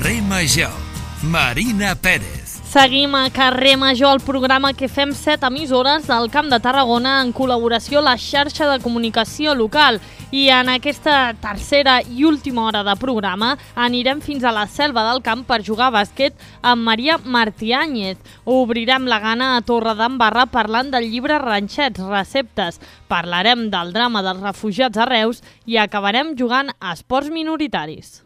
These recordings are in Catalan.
Carrer Major, Marina Pérez. Seguim a Carrer Major, el programa que fem 7 emissores del Camp de Tarragona en col·laboració a la xarxa de comunicació local. I en aquesta tercera i última hora de programa anirem fins a la Selva del Camp per jugar a bàsquet amb Maria Martiáñez. Obrirem la gana a Torredembarra parlant del llibre Ranxets, receptes. Parlarem del drama dels refugiats a Reus i acabarem jugant a esports minoritaris.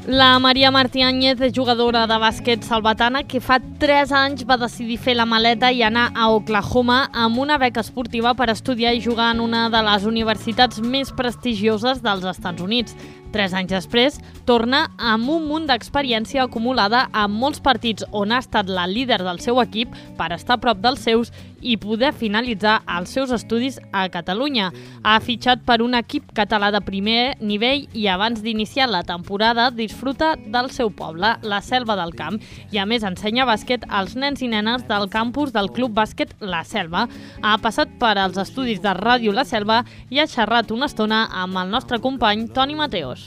La Maria Martiáñez és jugadora de bàsquet salvatana que fa 3 anys va decidir fer la maleta i anar a Oklahoma amb una beca esportiva per estudiar i jugar en una de les universitats més prestigioses dels Estats Units. 3 anys després, torna amb un munt d'experiència acumulada amb molts partits on ha estat la líder del seu equip per estar a prop dels seus i poder finalitzar els seus estudis a Catalunya. Ha fitxat per un equip català de primer nivell i abans d'iniciar la temporada disfruta del seu poble, la Selva del Camp, i a més ensenya bàsquet als nens i nenes del campus del Club Bàsquet La Selva. Ha passat per als estudis de Ràdio La Selva i ha xerrat una estona amb el nostre company Toni Mateos.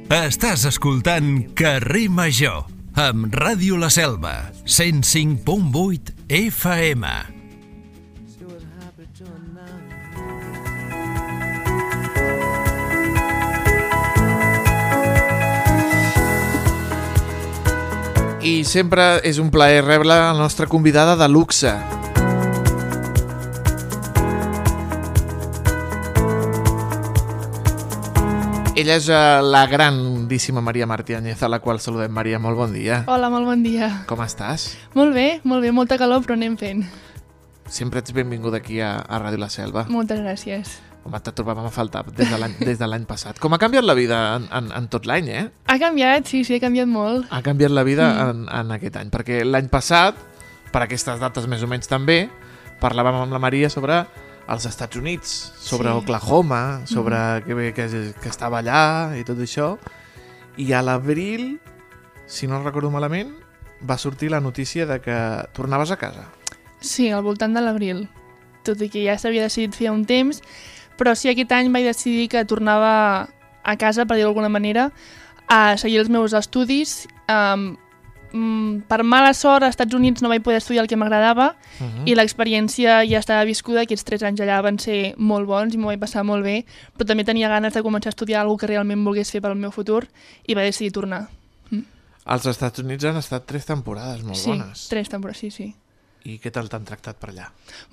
Estàs escoltant Carrer Major amb Ràdio La Selva, 105.8 FM. I sempre és un plaer rebre la nostra convidada de luxe. Ella és la grandíssima Maria Martiáñez, a la qual saludem. Maria, molt bon dia. Hola, molt bon dia. Com estàs? Molt bé, molta calor, però anem fent. Sempre ets benvinguda aquí a Ràdio La Selva. Moltes gràcies. Home, te trobàvem a faltar des de l'any passat. Com ha canviat la vida en tot l'any, eh? Ha canviat, sí, ha canviat molt. Ha canviat la vida en aquest any, perquè l'any passat, per aquestes dates més o menys també, parlàvem amb la Maria sobre els Estats Units, sobre Oklahoma, sobre que estava allà i tot això. I a l'abril, si no recordo malament, va sortir la notícia de que tornaves a casa. Sí, al voltant de l'abril. Tot i que ja s'havia decidit fer un temps, però sí, aquest any vaig decidir que tornava a casa, per dir-ho d'alguna manera, a seguir els meus estudis. Per mala sort, als Estats Units no vaig poder estudiar el que m'agradava i l'experiència ja estava viscuda. Aquests 3 anys allà van ser molt bons i m'ho vaig passar molt bé, però també tenia ganes de començar a estudiar alguna que realment volgués fer pel meu futur i vaig decidir tornar. Als Estats Units han estat 3 temporades molt bones. Sí, 3 temporades, sí. I què tal t'han tractat per allà?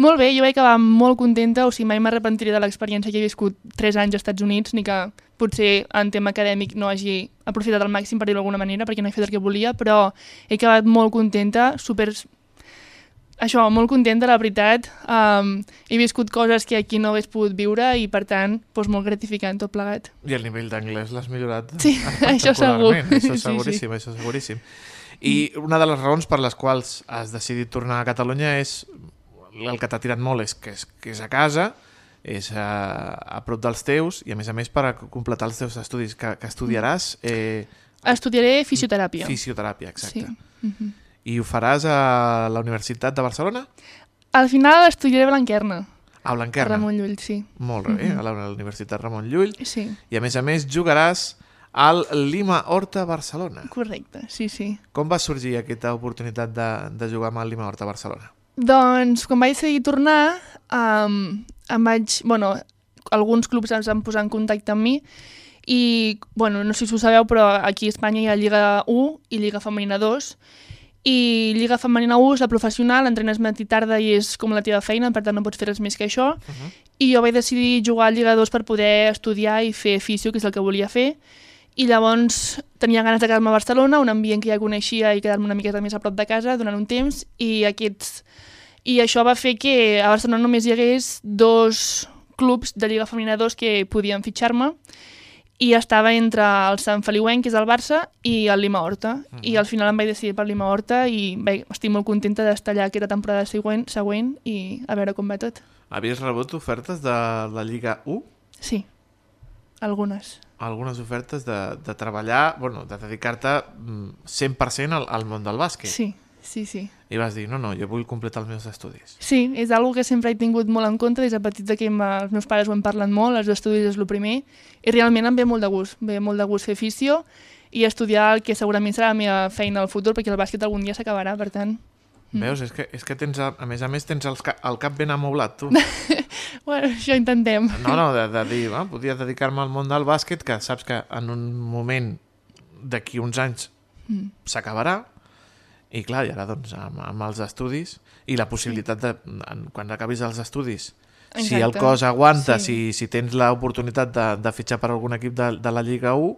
Molt bé, jo vaig acabar molt contenta, o sigui, mai m'arrepentiré de l'experiència que he viscut 3 anys als Estats Units, ni que potser en tema acadèmic no hagi aprofitat al màxim, per dir-ho d'alguna manera, perquè no he fet el que volia, però he acabat molt contenta, molt contenta, la veritat. He viscut coses que aquí no hagués pogut viure i, per tant, molt gratificant tot plegat. I el nivell d'anglès l'has millorat? Sí, això segur. Això seguríssim, sí. Això seguríssim. I una de les raons per les quals has decidit tornar a Catalunya és el que t'ha tirat molt, que és a casa, és a prop dels teus i a més per a completar els teus estudis que estudiaràs. Estudiaré fisioteràpia. Fisioteràpia, exacte. Sí. I ho faràs a la Universitat de Barcelona? Al final estudiaré a Blanquerna. A Blanquerna? Ramon Llull, sí. Molt bé, a la Universitat Ramon Llull. Sí. I a més jugaràs al Lima Horta Barcelona. Correcte, sí. Com va sorgir aquesta oportunitat de jugar amb el Lima Horta Barcelona? Doncs, quan vaig decidir tornar, alguns clubs ens van posar en contacte amb mi i, no sé si ho sabeu, però aquí a Espanya hi ha Lliga 1 i Lliga Femenina 2 i Lliga Femenina 1 és la professional, entrenes matí i tarda i és com la teva feina, per tant no pots fer res més que això. I jo vaig decidir jugar a Lliga 2 per poder estudiar i fer fisio, que és el que volia fer. I llavors tenia ganes de quedar-me a Barcelona, un ambient que ja coneixia i quedar-me una miqueta més a prop de casa durant un temps i això va fer que a Barcelona només hi hagués 2 clubs de Lliga Femenina 2 que podien fitxar-me i estava entre el Sant Feliuenc, que és el Barça, i el Lima Horta. I al final em vaig decidir per Lima Horta i estic molt contenta d'estar allà aquesta temporada següent i a veure com va tot. Havies rebut ofertes de la Lliga 1? Sí, algunes. Algunes ofertes de treballar, de dedicar-te 100% al món del bàsquet. Sí, Sí, sí. I vas dir, no, jo vull completar els meus estudis. Sí, és una que sempre he tingut molt en compte, des de petita que els meus pares ho han parlat molt, els estudis és el primer, i realment em ve molt de gust fer fisio i estudiar el que segurament serà la meva feina al futur, perquè el bàsquet algun dia s'acabarà, per tant... Veus? És que tens, a més tens el cap ben amoblat, tu. Bueno, això intentem. No, de dir, podia dedicar-me al món del bàsquet, que saps que en un moment d'aquí uns anys s'acabarà, i clar, i ara doncs amb els estudis i la possibilitat de, quan acabis els estudis, Exacte. si el cos aguanta, Sí. si tens l'oportunitat de fitxar per algun equip de la Lliga 1,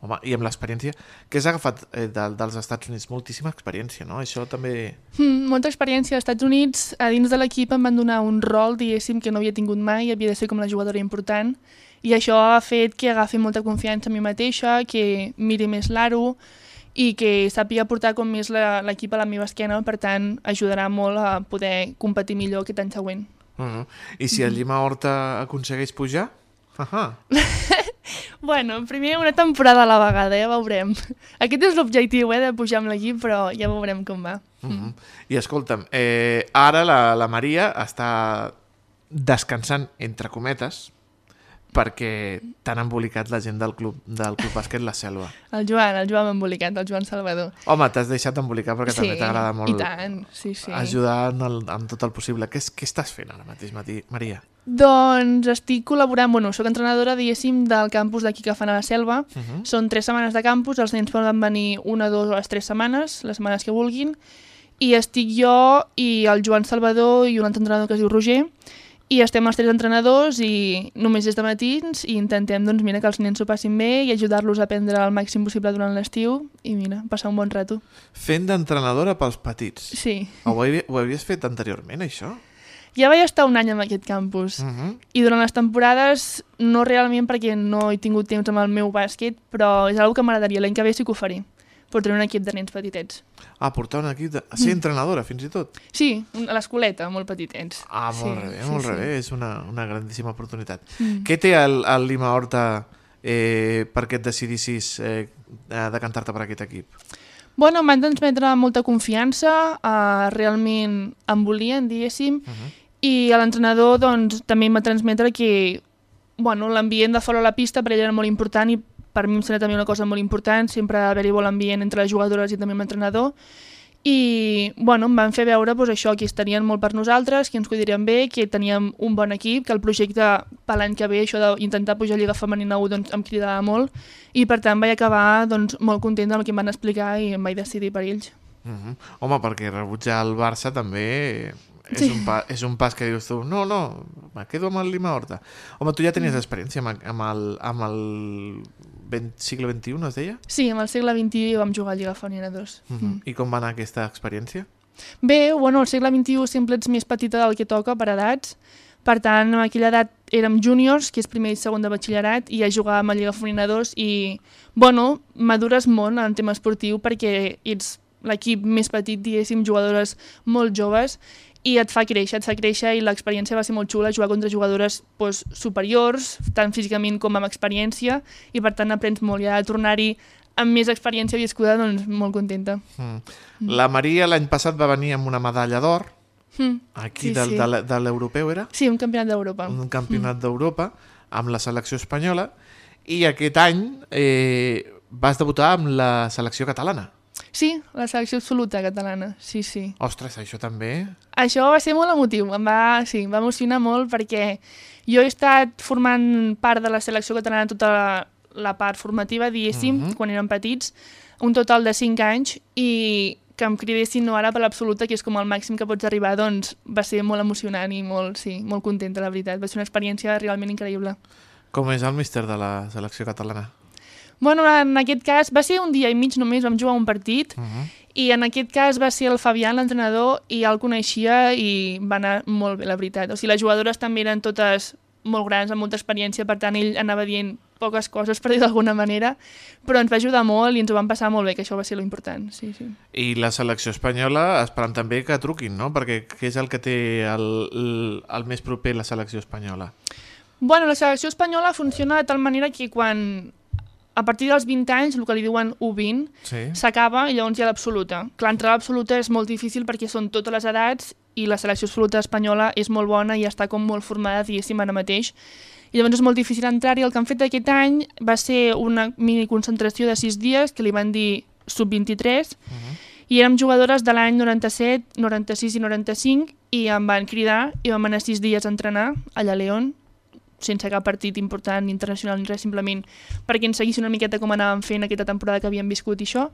home, i amb l'experiència que has agafat dels Estats Units, moltíssima experiència, no? Això també... Molta experiència als Estats Units. A dins de l'equip em van donar un rol, diguéssim, que no havia tingut mai, havia de ser com la jugadora important, i això ha fet que agafi molta confiança en mi mateixa, que miri més l'aro i que sàpiga portar com més l'equip a la meva esquena, per tant, ajudarà molt a poder competir millor aquest any següent. I si el Llima Horta aconsegueix pujar? Bueno, primer una temporada a la vegada, ja veurem. Aquest és l'objectiu, de pujar amb l'equip, però ja veurem com va. I escolta'm, ara la Maria està descansant, entre cometes, perquè t'han embolicat la gent del club bàsquet La Selva. El Joan m'ha embolicat, el Joan Salvador. Home, t'has deixat embolicar perquè també t'agrada molt i tant, sí. ajudar en tot el possible. Què estàs fent ara mateix, Maria? Doncs estic col·laborant, soc entrenadora, diguéssim, del campus d'aquí que fan a La Selva. Són 3 setmanes de campus, els nens poden venir 1, 2 o les 3 setmanes, les setmanes que vulguin, i estic jo i el Joan Salvador i un altre entrenador que es diu Roger, i estem els 3 entrenadors i només des de matins i intentem doncs, que els nens s'ho passin bé i ajudar-los a aprendre el màxim possible durant l'estiu i passar un bon rato. Fent d'entrenadora pels petits. Sí. Ho havies fet anteriorment, això? Ja vaig estar un any en aquest campus i durant les temporades no realment perquè no he tingut temps amb el meu bàsquet, però és una que m'agradaria, l'any que ve sí que ho faré, portar un equip de nens petitets. Portar un equip de... Ser entrenadora, fins i tot? Sí, a l'escoleta, molt petitets. Molt bé, és una grandíssima oportunitat. Què té el Llima Horta perquè et decidissis decantar-te per aquest equip? Em van transmetre molta confiança, realment em volien, diguéssim, i l'entrenador doncs, també em va transmetre que l'ambient de fora a la pista per ell era molt important i per mi em sembla també una cosa molt important, sempre haver-hi bon ambient entre les jugadores i també l'entrenador. I em van fer veure això, que estarien molt per nosaltres, que ens cuidarien bé, que teníem un bon equip, que el projecte per l'any que ve, això d'intentar pujar a Lliga Femenina 1, doncs, em cridava molt, i per tant vaig acabar molt contenta amb el que em van explicar i em vaig decidir per ells. Home, perquè rebutjar el Barça també és un pas que dius tu, no, me quedo amb el Llima Horta. Home, tu ja tenies experiència amb el segle XXI, es deia? Sí, amb el segle XXI vam jugar a Lliga Femenina 2. I com va anar aquesta experiència? Bé, al segle XXI sempre ets més petita del que toca per edats. Per tant, en aquella edat érem júniors, que és primer i segon de batxillerat, i ja jugàvem a Lliga Femenina 2 i, madures molt en tema esportiu perquè ets l'equip més petit, diguéssim, jugadores molt joves, i et fa créixer i l'experiència va ser molt xula, jugar contra jugadores superiors, tant físicament com amb experiència, i per tant aprens molt, i a tornar-hi amb més experiència viscuda, doncs molt contenta. La Maria l'any passat va venir amb una medalla d'or, aquí de l'europeu era? Sí, un campionat d'Europa. Un campionat d'Europa amb la selecció espanyola, i aquest any vas debutar amb la selecció catalana. Sí, la selecció absoluta catalana, sí. Ostres, això també... Això va ser molt emotiu, em va emocionar molt perquè jo he estat formant part de la selecció catalana tota la part formativa, diguéssim, quan érem petits, un total de 5 anys, i que em cridessin ara per l'absoluta, que és com el màxim que pots arribar, doncs va ser molt emocionant i molt contenta, la veritat. Va ser una experiència realment increïble. Com és el míster de la selecció catalana? En aquest cas va ser un dia i mig només, vam jugar un partit, i en aquest cas va ser el Fabián, l'entrenador, i ja el coneixia i va anar molt bé, la veritat. O sigui, les jugadores també eren totes molt grans, amb molta experiència, per tant ell anava dient poques coses, per dir d'alguna manera, però ens va ajudar molt i ens ho vam passar molt bé, que això va ser l'important. Sí. I la selecció espanyola esperant també que truquin, no? Perquè què és el que té el més proper la selecció espanyola? La selecció espanyola funciona de tal manera que quan a partir dels 20 anys, el que li diuen U20, s'acaba i llavors hi ha l'absoluta. Clar, entrar a l'absoluta és molt difícil perquè són totes les edats i la selecció absoluta espanyola és molt bona i està com molt formada, diguéssim, ara mateix. I llavors és molt difícil entrar-hi. El que han fet aquest any va ser una mini concentració de 6 dies que li van dir sub-23 i érem jugadores de l'any 97, 96 i 95 i em van cridar i vam anar 6 dies a entrenar allà a León, sense cap partit important internacional ni res, simplement perquè ens seguissin una miqueta com anàvem fent aquesta temporada que havíem viscut i això.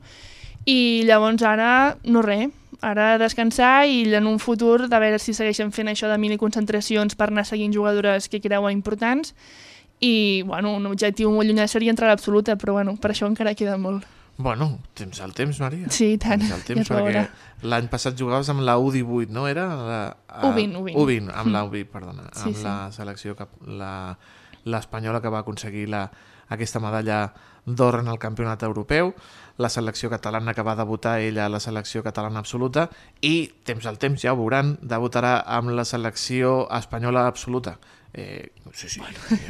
I llavors ara, no res, ara descansar i en un futur de veure si segueixen fent això de mini-concentracions per anar seguint jugadores que creuen importants i, bueno, un objectiu molt llunyà seria entrar a l'absoluta, però, bueno, per això encara queda molt. Bueno, tens el temps, Maria. Sí, i tant. Tens el temps, perquè l'any passat jugaves amb la U18, no era? U20. U20, amb la U20, perdona. Sí, amb la selecció, l'espanyola que va aconseguir aquesta medalla d'or en el campionat europeu, la selecció catalana que va debutar ella a la selecció catalana absoluta i, temps al temps, ja ho veuran, debutarà amb la selecció espanyola absoluta. Sí.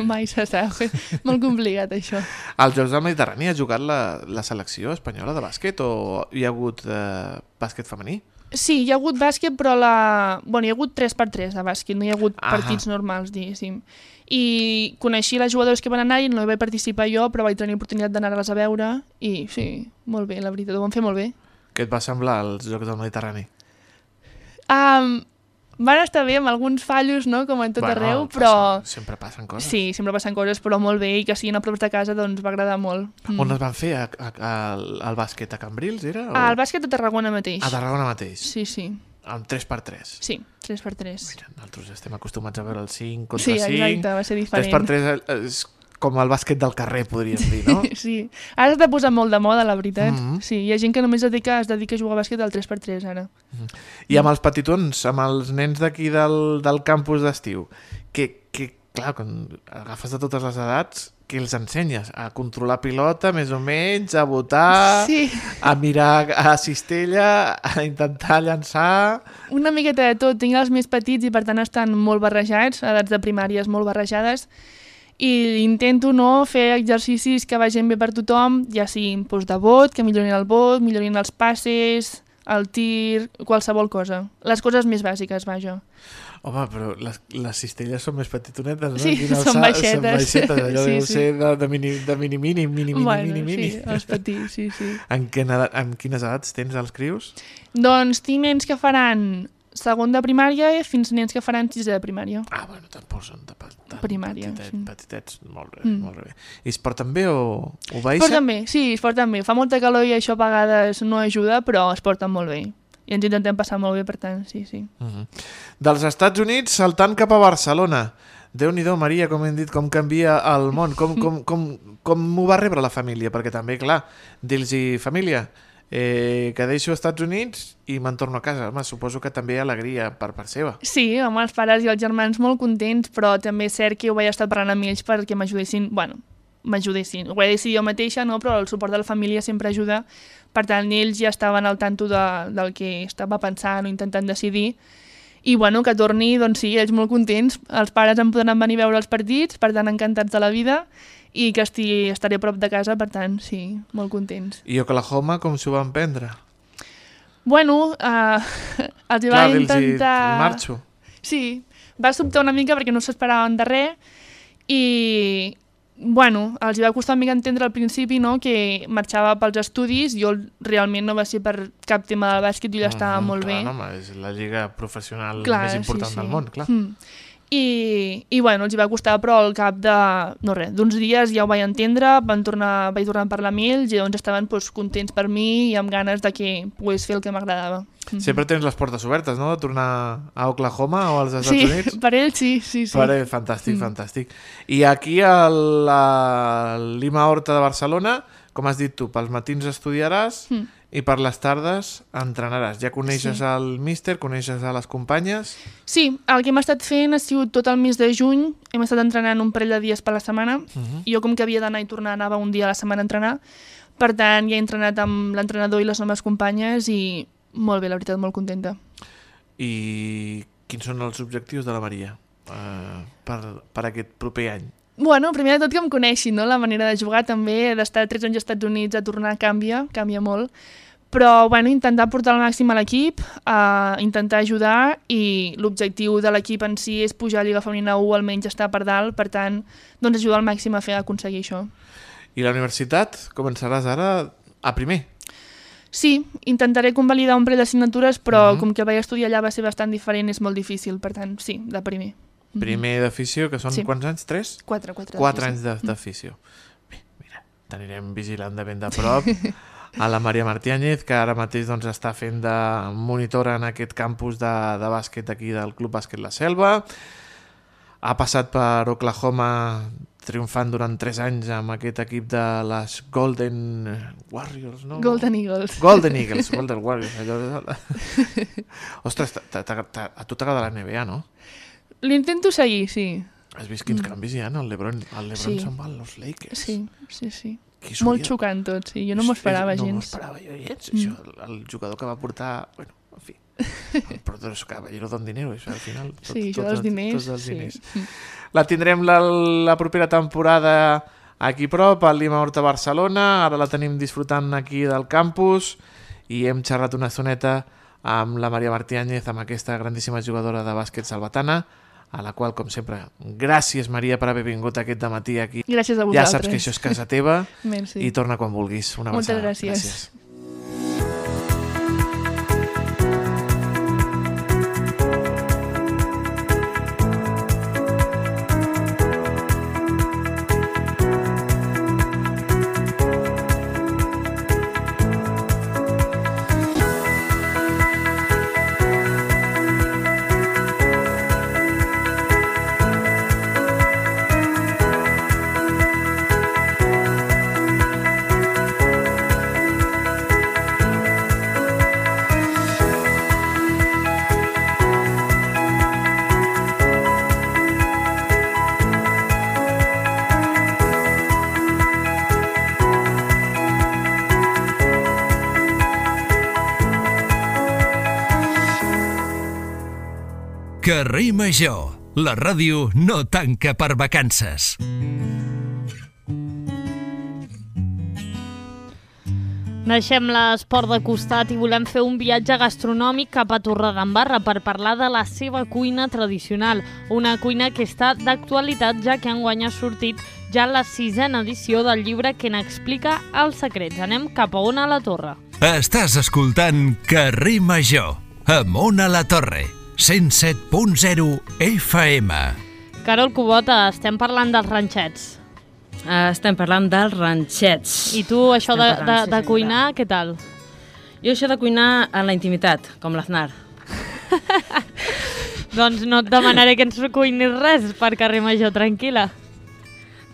Mai se sap, molt complicat això. Als Jocs del Mediterrani ha jugat la selecció espanyola de bàsquet o hi ha hagut bàsquet femení? Sí, hi ha hagut bàsquet, però hi ha hagut 3x3 de bàsquet, no hi ha hagut partits normals, diguéssim. I coneixia les jugadores que van anar i no hi vaig participar jo, però vaig tenir l'oportunitat d'anar-les a veure i sí, molt bé, la veritat, ho van fer molt bé. Què et va semblar els Jocs del Mediterrani? Van estar bé amb alguns fallos, no?, com en tot arreu, però... Sempre passen coses. Sí, sempre passen coses, però molt bé, i que siguin a prop de casa, doncs va agradar molt. On es van fer el bàsquet? A Cambrils, era? El bàsquet a Tarragona mateix. A Tarragona mateix? Sí. Amb 3x3? Sí, 3x3. Mira, nosaltres estem acostumats a veure el 5 contra 5. Sí, exacte, va ser diferent. 3x3 és com el bàsquet del carrer, podríem dir, no? Sí, ara s'ha posat molt de moda, la veritat. Sí, hi ha gent que només es dedica a jugar a bàsquet al 3x3, ara. I amb els petitons, amb els nens d'aquí del campus d'estiu, que clar, quan agafes de totes les edats, què els ensenyes? A controlar pilota, més o menys, a botar, a mirar a cistella, a intentar llançar... Una miqueta de tot. Tinc els més petits i per tant estan molt barrejats, edats de primàries molt barrejades, i intento fer exercicis que vagin bé per tothom, ja siguin de bot, que millorin el bot, millorin els passes, el tir, qualsevol cosa. Les coses més bàsiques, vaja. Home, però les cistelles són més petitonetes, no? Sí, són baixetes. Són baixetes, allò deu ser de mini. Bueno, sí, els petits, sí. En quines edats tens els crios? Doncs tinc nens que faran segon de primària fins nens que faran sisè de primària. Bueno, tampoc són de primària, petitets, molt bé. I es porten bé o baixen? Es porten bé, sí, es porten bé. Fa molta calor i això a vegades no ajuda, però es porten molt bé. I ens intentem passar molt bé, per tant, sí. Dels Estats Units saltant cap a Barcelona. Déu-n'hi-do, Maria, com hem dit, com canvia el món, com ho va rebre la família, perquè també, clar, dir-los família, que deixo als Estats Units i me'n torno a casa. Home, suposo que també hi ha alegria per part seva. Sí, home, els pares i els germans molt contents, però també és cert que ho vaig estar parlant amb ells perquè m'ajudessin, ho vaig decidir jo mateixa, no? Però el suport de la família sempre ajuda, per tant, ells ja estaven al tanto del que estava pensant o intentant decidir, i que torni, doncs sí, ells molt contents, els pares em podran venir a veure els partits, per tant, encantats de la vida, i que estaré a prop de casa, per tant, sí, molt contents. I Oklahoma, com s'ho van prendre? Els hi va intentar... Marxo. Sí, va sobtar una mica perquè no s'esperaven de res i, els hi va costar una mica entendre al principi, no?, que marxava pels estudis. Jo realment no va ser per cap tema del bàsquet, jo ja estava molt bé. Home, és la lliga professional més important del món, clar. I els hi va costar, però al cap d'uns dies ja ho vaig entendre, vaig tornar a parlar amb ells i doncs estaven contents per mi i amb ganes de que pogués fer el que m'agradava. Sempre tens les portes obertes, no?, de tornar a Oklahoma o als Estats Units? Sí, per ells sí. Per ells, fantàstic. I aquí a la Lima Horta de Barcelona, com has dit tu, pels matins estudiaràs i per les tardes entrenaràs. Ja coneixes el míster, coneixes a les companyes? Sí, el que hem estat fent ha sigut tot el mes de juny. Hem estat entrenant un parell de dies per la setmana. Jo, com que havia d'anar i tornar, anava un dia a la setmana a entrenar. Per tant, ja he entrenat amb l'entrenador i les noves companyes i molt bé, la veritat, molt contenta. I quins són els objectius de la Maria per aquest proper any? Bueno, primer de tot que em coneixin, no? La manera de jugar també, d'estar 3 anys als Estats Units a tornar canvia molt. Però, bueno, intentar portar el màxim a l'equip, intentar ajudar, i l'objectiu de l'equip en si és pujar a Lliga Femenina 1, almenys estar per dalt, per tant, doncs ajudar al màxim a aconseguir això. I la universitat començaràs ara a primer? Sí, intentaré convalidar un parell d'assignatures, però com que vaig estudiar allà va ser bastant diferent, és molt difícil, per tant, sí, de primer. Primer d'afició, que són quants anys? 3? 4 anys d'afició. Bé, mira, t'anirem vigilant de ben de prop a la Maria Martínez, que ara mateix està fent de monitora en aquest campus de bàsquet aquí del Club Bàsquet La Selva. Ha passat per Oklahoma triomfant durant 3 anys amb aquest equip de les Golden Warriors, no? Golden Eagles. Golden Eagles, Golden Warriors. Ostres, a tu t'agrada la NBA, no? L'intento seguir, sí. Has vist quins canvis hi ha? El LeBron se'n va als Lakers. Sí. Molt xocant tot, sí. Jo no m'ho esperava gens. No m'ho esperava jo gens. Això, el jugador que va portar... Bueno, en fi. El Protoso Caballero don dinero, això al final. Sí, això dels diners. Tots els diners. La tindrem la propera temporada aquí prop, al Lima Horta Barcelona. Ara la tenim disfrutant aquí del campus i hem xerrat una estoneta amb la Maria Martínez, amb aquesta grandíssima jugadora de bàsquet salvatana, a la qual, com sempre, gràcies, Maria, per haver vingut aquest dematí aquí. Gràcies a vosaltres. Ja saps que això és casa teva. Merci. I torna quan vulguis. Una abraçada. Moltes gràcies. Carrer Major, la ràdio no tanca per vacances. Deixem l'esport de costat i volem fer un viatge gastronòmic cap a Torredembarra per parlar de la seva cuina tradicional. Una cuina que està d'actualitat, ja que enguany ha sortit ja la 6ª edició del llibre que n'explica els secrets. Anem cap a Ona la Torre. Estàs escoltant Carrer Major, amb Ona la Torre, 107.0 FM. Carol Cubota, estem parlant dels ranxets. Estem parlant dels ranxets. I tu, això de cuinar, què tal? Jo això de cuinar en la intimitat, com l'Aznar. Doncs no et demanaré que ens cuinis res per Carrer Major, tranquil·la.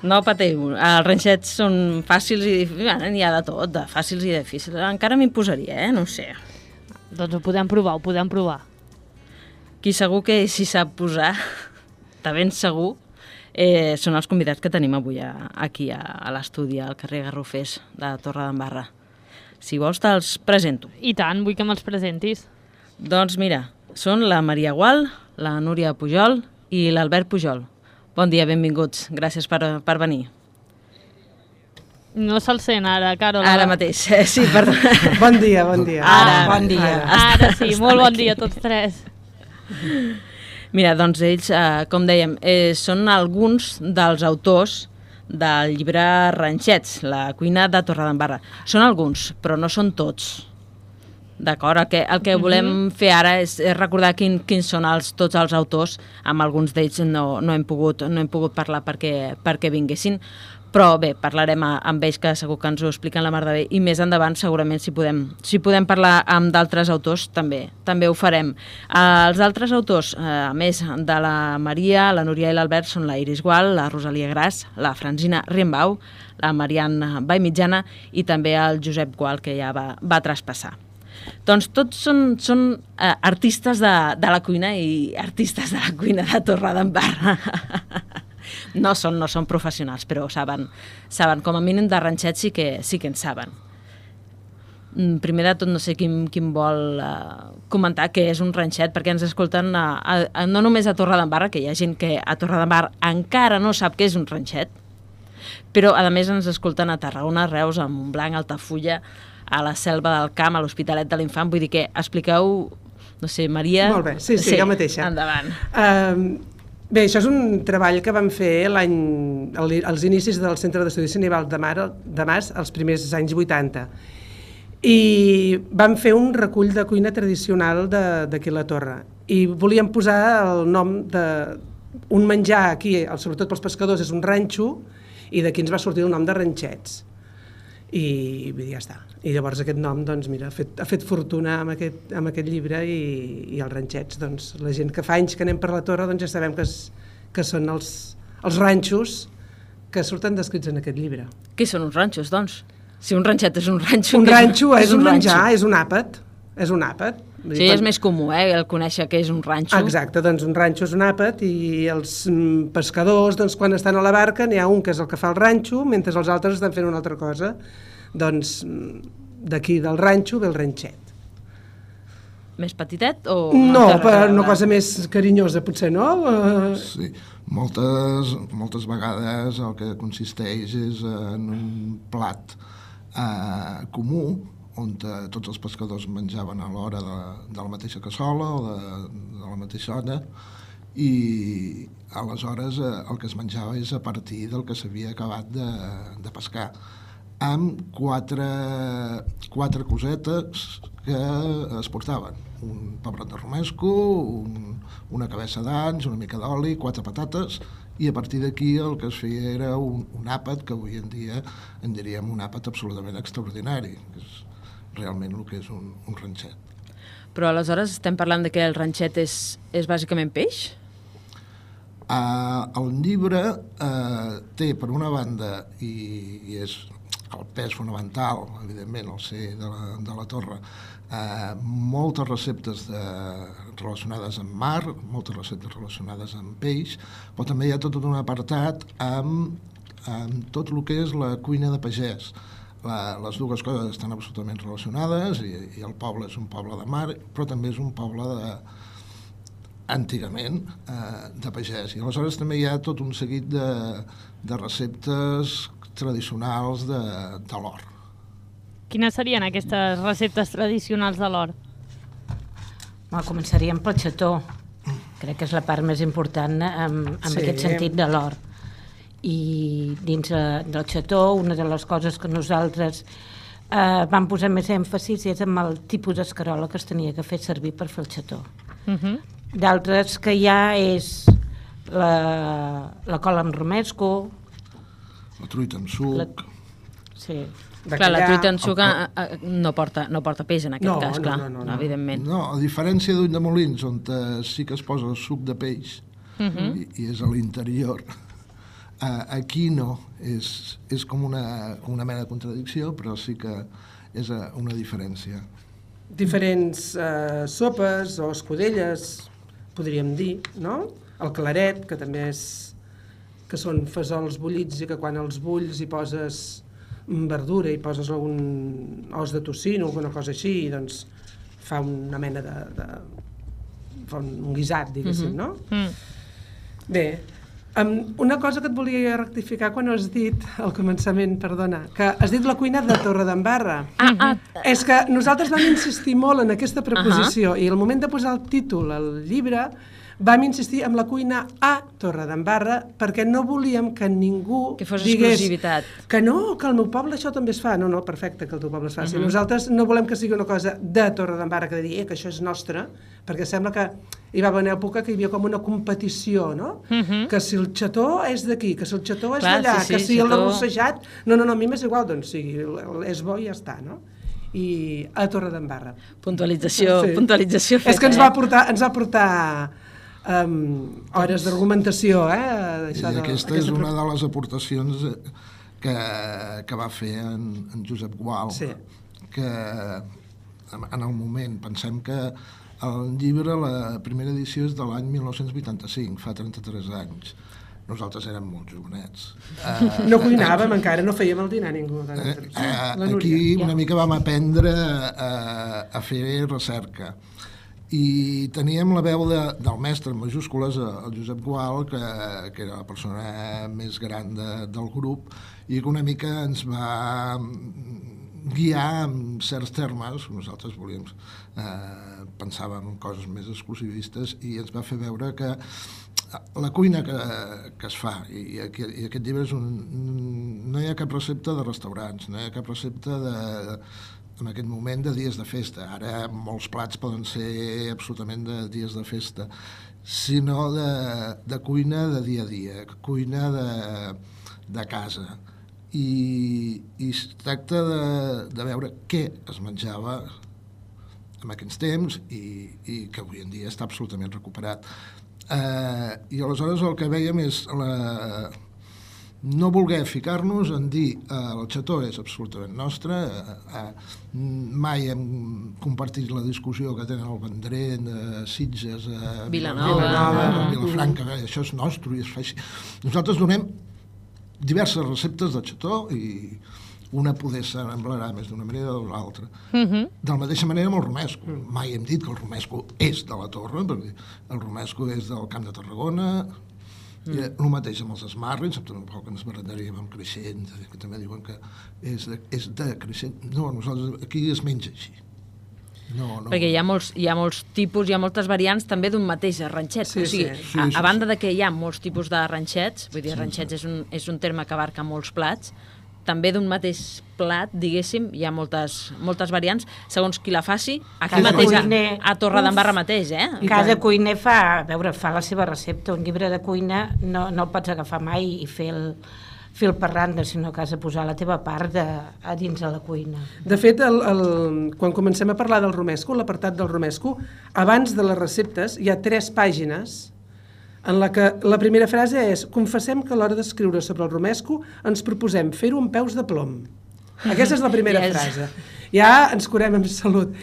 No patiu, els ranxets són fàcils i difícils, n'hi ha de tot, de fàcils i difícils. Encara m'imposaria, no ho sé. Doncs ho podem provar. Qui segur que s'hi sap posar, de ben segur, són els convidats que tenim avui aquí a l'estudi, al carrer Garrofers de Torredembarra. Si vols te'ls presento. I tant, vull que me'ls presentis. Doncs mira, són la Maria Gual, la Núria Pujol i l'Albert Pujol. Bon dia, benvinguts. Gràcies per venir. No se'l sent ara, Carol. Ara mateix, sí, perdó. Bon dia. Bon dia. Ara sí, molt bon dia a tots tres. Mira, doncs ells, com dèiem, són alguns dels autors del llibre Ranxets, la cuina de Torredembarra. Són alguns, però no són tots. D'acord? El que volem fer ara és recordar quins són tots els autors. Amb alguns d'ells no hem pogut parlar perquè vinguessin. Però bé, parlarem amb ells, que segur que ens ho expliquen la mar de bé, i més endavant segurament si podem parlar amb d'altres autors també ho farem. Els altres autors, a més de la Maria, la Núria i l'Albert, són la Iris Gual, la Rosalia Gras, la Francina Riembau, la Marianne Vallmitjana i també el Josep Gual, que ja va traspassar. Doncs tots són artistes de la cuina i artistes de la cuina de Torredembarra. No són professionals, però saben com a mínim de ranxets sí que en saben. Primer de tot, no sé quin vol comentar què és un ranxet, perquè ens escolten no només a Torredembarra, que hi ha gent que a Torredembarra encara no sap què és un ranxet, però a més ens escolten a Tarragona, Reus, a Montblanc, a Altafulla, a la Selva del Camp, a l'Hospitalet de l'Infant. Vull dir que expliqueu, no sé, Maria... Molt bé, sí, jo mateixa. Endavant. Bé, això és un treball que vam fer als inicis del Centre d'Estudis Nival de Mas, els primers anys 80. I vam fer un recull de cuina tradicional d'aquí a la Torre. I volíem posar el nom d'un menjar aquí, sobretot pels pescadors, és un ranxo, i d'aquí ens va sortir el nom de ranxets. I ja està. I llavors aquest nom, doncs mira, ha fet fortuna amb aquest llibre i els ranxets, doncs la gent que fa anys que anem per la Torre, doncs ja sabem que són els ranxos que surten descrits en aquest llibre. Què són uns ranxos, doncs? Si un ranxet és un ranxo... Un ranxo és un menjar, és un àpat. És un àpat. Sí, és més comú, el conèixer què és un ranxo. Exacte, doncs un ranxo és un àpat i els pescadors, doncs quan estan a la barca, n'hi ha un que és el que fa el ranxo, mentre els altres estan fent una altra cosa. Doncs d'aquí del ranxo ve el ranxet. Més petitet o... No, per una cosa més carinyosa, potser, no? Sí, moltes vegades el que consisteix és en un plat comú, on tots els pescadors menjaven a l'hora de la mateixa cassola o de la mateixa ona, i aleshores el que es menjava és a partir del que s'havia acabat de pescar, amb quatre cosetes que es portaven: un pebrot de romesco, una cabeça d'anys, una mica d'oli, 4 patates, i a partir d'aquí el que es feia era un àpat, que avui en dia en diríem un àpat absolutament extraordinari, que és realment el que és un ranxet. Però aleshores estem parlant de que el ranxet és bàsicament peix? El llibre té, per una banda, i és el pes fonamental, evidentment, al ser de la Torre, moltes receptes relacionades amb mar, moltes receptes relacionades amb peix, però també hi ha tot un apartat amb tot el que és la cuina de pagès. Les dues coses estan absolutament relacionades i el poble és un poble de mar, però també és un poble antigament de pagès. I aleshores també hi ha tot un seguit de receptes tradicionals de l'or. Quines serien aquestes receptes tradicionals de l'or? Començaríem pel xató. Crec que és la part més important en aquest sentit de l'or. I dins del xató, una de les coses que nosaltres vam posar més èmfasis és amb el tipus d'escarola que es tenia que fer servir per fer el xató. D'altres que hi ha és la cola amb romesco, la truita amb suc... Sí. Clar, la truita amb suc no porta peix en aquest cas, clar, evidentment. No, a diferència d'Ulldemolins, on sí que es posa el suc de peix i és a l'interior, aquí no, és com una mena de contradicció, però sí que és una diferència. Diferents sopes o escudelles, podríem dir, no? El claret, que també que són fesols bullits i que quan els bulls hi poses verdura i poses algun os de tocino o alguna cosa així, doncs fa una mena fa un guisat, diguéssim, no? Bé, una cosa que et volia rectificar quan has dit al començament, perdona, que has dit la cuina de Torredembarra. És que nosaltres vam insistir molt en aquesta preposició i al moment de posar el títol al llibre vam insistir en la cuina a Torredembarra perquè no volíem que ningú que fos digués exclusivitat. Que no, que al meu poble això també es fa. No, perfecte que el teu poble es faci. Nosaltres no volem que sigui una cosa de Torredembarra, que de dir que això és nostre, perquè sembla que hi va haver una època que hi havia com una competició, no? Que si el xató és d'aquí, que si el xató és d'allà, que si el arrossejat... No, a mi m'és igual, doncs sí, és bo i ja està, no? I a Torredembarra. Puntualització feta. És que ens va portar hores d'argumentació, I aquesta és una de les aportacions que va fer en Josep Gual, que en el moment, pensem que el llibre, la primera edició és de l'any 1985, fa 33 anys. Nosaltres érem molt jovenets. No cuinàvem encara, no fèiem el dinar ningú. Aquí una mica vam aprendre a fer recerca. I teníem la veu del mestre, en majúscules, el Josep Gual, que era la persona més gran del grup, i que una mica ens va guiar en certs termes. Nosaltres pensàvem en coses més exclusivistes i ens va fer veure que la cuina que es fa, i aquest llibre no hi ha cap recepta de restaurants, no hi ha cap recepta en aquest moment de dies de festa. Ara molts plats poden ser absolutament de dies de festa, sinó de cuina de dia a dia, cuina de casa. I es tracta de veure què es menjava en aquells temps i que avui en dia està absolutament recuperat. I aleshores el que veiem és no voler ficar-nos en dir el xató és absolutament nostre, mai hem compartit la discussió que tenen el Vendrell, Sitges, Vilanova, Vilafranca, això és nostre i es fa així. Nosaltres donem diverses receptes de xató i una poder s'emblarà més d'una manera o de l'altra. De la mateixa manera amb el romesco. Mai hem dit que el romesco és de la Torre, perquè el romesco és del Camp de Tarragona, el mateix amb els esmarrins, tampoc ens barrejaríem amb Creixent, que també diuen que és de Creixent. No, nosaltres aquí es menja així. No. Perquè hi ha molts tipus, hi ha moltes variants també d'un mateix arranxet. Sí, o sigui, sí. A banda de que hi ha molts tipus d'arranxets, vull dir, arranxets és un terme que abarca molts plats, també d'un mateix plat, diguéssim, hi ha moltes variants, segons qui la faci, aquí mateix, a Torredembarra mateix, Cada cuiner fa la seva recepta. Un llibre de cuina no el pots agafar mai i fer el parranda, sinó que has de posar la teva part a dins de la cuina. De fet, quan comencem a parlar del romesco, l'apartat del romesco, abans de les receptes hi ha 3 pàgines en la que la primera frase és: confessem que a l'hora d'escriure sobre el romesco ens proposem fer-ho amb peus de plom. Aquesta és la primera frase. Ja ens curem amb salut.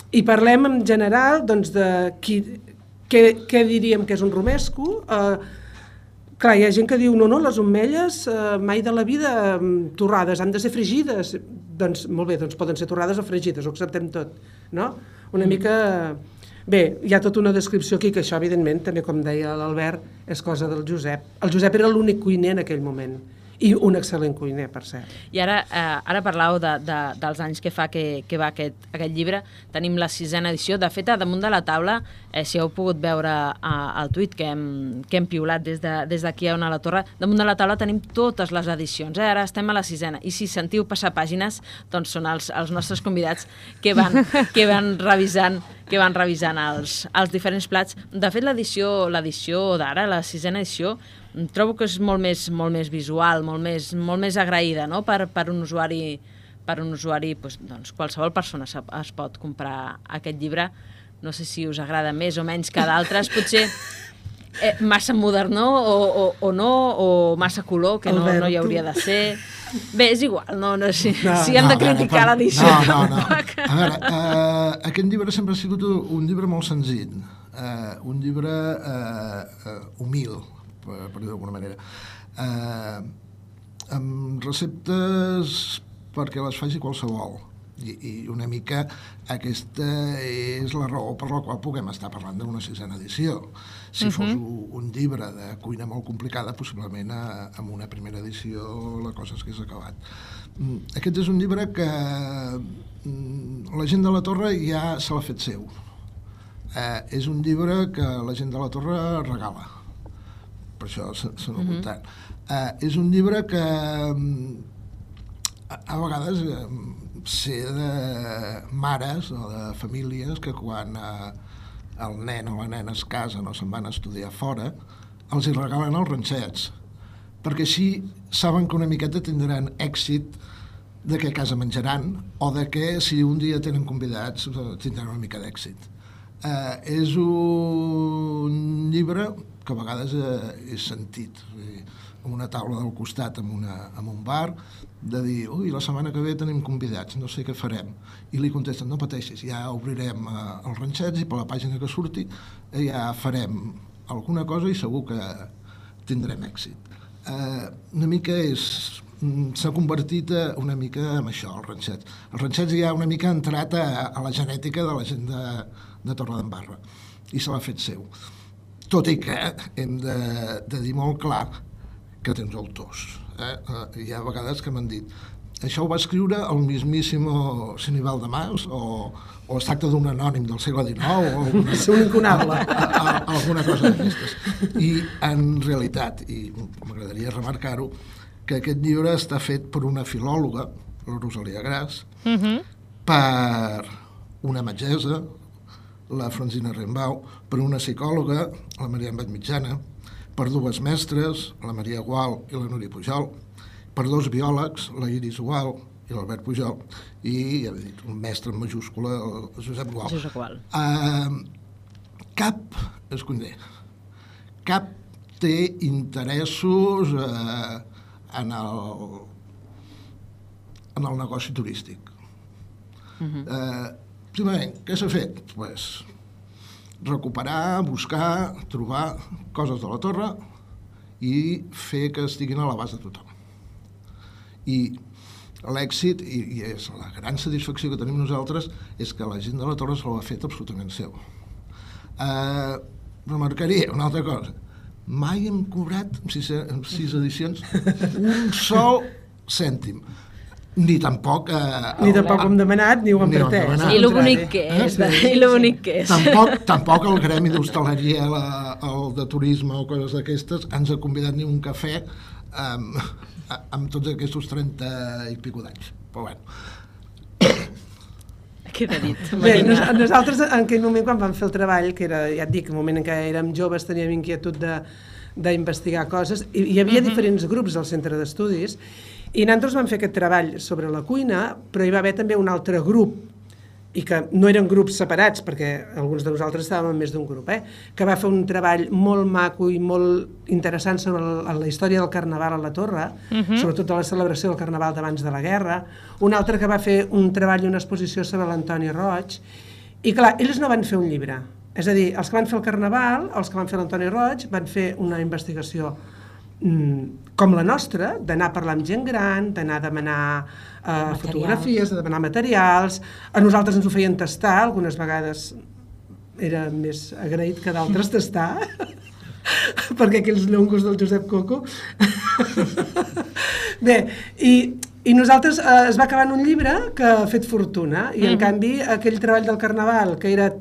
I parlem en general doncs, de què diríem que és un romesco. Clar, hi ha gent que diu no, les omelles mai de la vida torrades, han de ser fregides. Doncs molt bé, doncs poden ser torrades o fregides, ho acceptem tot, no? Una mica... Bé, hi ha tota una descripció aquí, que això, evidentment, també, com deia l'Albert, és cosa del Josep. El Josep era l'únic cuiner en aquell moment, i un excel·lent cuiner, per cert. I ara parleu dels anys que fa que va aquest llibre. Tenim la 6a edició. De fet, a damunt de la taula, si heu pogut veure el tuit que hem piulat des d'aquí a Ona la Torre, damunt de la taula tenim totes les edicions. Ara estem a la 6a. I si sentiu passar pàgines, doncs són els nostres convidats que van revisant els diferents plats. De fet, l'edició d'ara, la 6a edició, trobo que és molt més visual, molt més agraïda, no? Per un usuari, doncs, qualsevol persona es pot comprar aquest llibre. No sé si us agrada més o menys que d'altres, potser massa modernó o no, o massa color, que no hi hauria de ser. Bé, és igual, si hem de criticar l'edició. No. A veure, aquest llibre sempre ha sigut un llibre molt senzill, un llibre humil, per dir d'alguna manera, amb receptes perquè les faci qualsevol, i una mica aquesta és la raó per la qual puguem estar parlant d'una 6a edició. Si fos un llibre de cuina molt complicada, possiblement amb una primera edició la cosa s'hagués acabat. Aquest és un llibre que la gent de la Torre ja se l'ha fet seu. És un llibre que la gent de la Torre regala, per això se n'ha apuntat. És un llibre que a vegades sé de mares o de famílies que quan el nen o la nena es casen o se'n van a estudiar fora, els hi regalen els ranxets, perquè així saben que una miqueta tindran èxit de què a casa menjaran o de que si un dia tenen convidats tindran una mica d'èxit. És un llibre que a vegades és sentit, amb una taula del costat en un bar, de dir, ui, la setmana que ve tenim convidats, no sé què farem. I li contesten, no pateixis, ja obrirem els ranxets i per la pàgina que surti ja farem alguna cosa i segur que tindrem èxit. Una mica s'ha convertit una mica en això, els ranxets. Els ranxets ja una mica ha entrat a la genètica de la gent de Torredembarra i se l'ha fet seu. Tot i que hem de dir molt clar que tens autors. Hi ha vegades que m'han dit això ho va escriure el mismíssimo Sinibal de Mas o es tracta d'un anònim del segle XIX o un incunable. Alguna cosa d'aquestes. I en realitat, i m'agradaria remarcar-ho, que aquest llibre està fet per una filòloga, la Rosalia Gras, per una metgessa, la Francina Rembau, per una psicòloga, la Maria Embet Mitjana, per dues mestres, la Maria Gual i la Núria Pujol, per dos biòlegs, la Iris Gual i l'Albert Pujol, i, ja he dit, un mestre en majúscula, el Josep Gual. Josep Gual. Cap té interessos en el negoci turístic. Primerament, què s'ha fet? Pues, recuperar, buscar, trobar coses de la torre i fer que estiguin a l'abast de tothom. I l'èxit, i és la gran satisfacció que tenim nosaltres, és que la gent de la torre se l'ha fet absolutament seu. Remarcaria una altra cosa. Mai hem cobrat, en 6 edicions, un sol cèntim. Ni tampoc... Ni tampoc hem demanat, ni ho hem pretès. I lo bonic que és. I lo bonic que és. Tampoc el gremi d'hostaleria, el de turisme o coses d'aquestes, ens ha convidat ni un cafè amb tots aquests 30 i pico d'anys. Però bueno. Queda dit. Bé, nosaltres en aquell moment quan vam fer el treball, que era, ja et dic, el moment en què érem joves, teníem inquietud d'investigar coses, i hi havia diferents grups al centre d'estudis, i nosaltres vam fer aquest treball sobre la cuina, però hi va haver també un altre grup, i que no eren grups separats, perquè alguns de nosaltres estàvem en més d'un grup, que va fer un treball molt maco i molt interessant sobre la història del Carnaval a la Torre, sobretot de la celebració del Carnaval d'abans de la guerra, un altre que va fer un treball i una exposició sobre l'Antoni Roig, i clar, ells no van fer un llibre, és a dir, els que van fer el Carnaval, els que van fer l'Antoni Roig, van fer una investigació com la nostra, d'anar a parlar amb gent gran, d'anar a demanar fotografies, de demanar materials. A nosaltres ens ho feien tastar, algunes vegades era més agraït que d'altres tastar, perquè aquells llongos del Josep Coco. Bé, i nosaltres es va acabar en un llibre que ha fet fortuna, i en canvi aquell treball del Carnaval, que era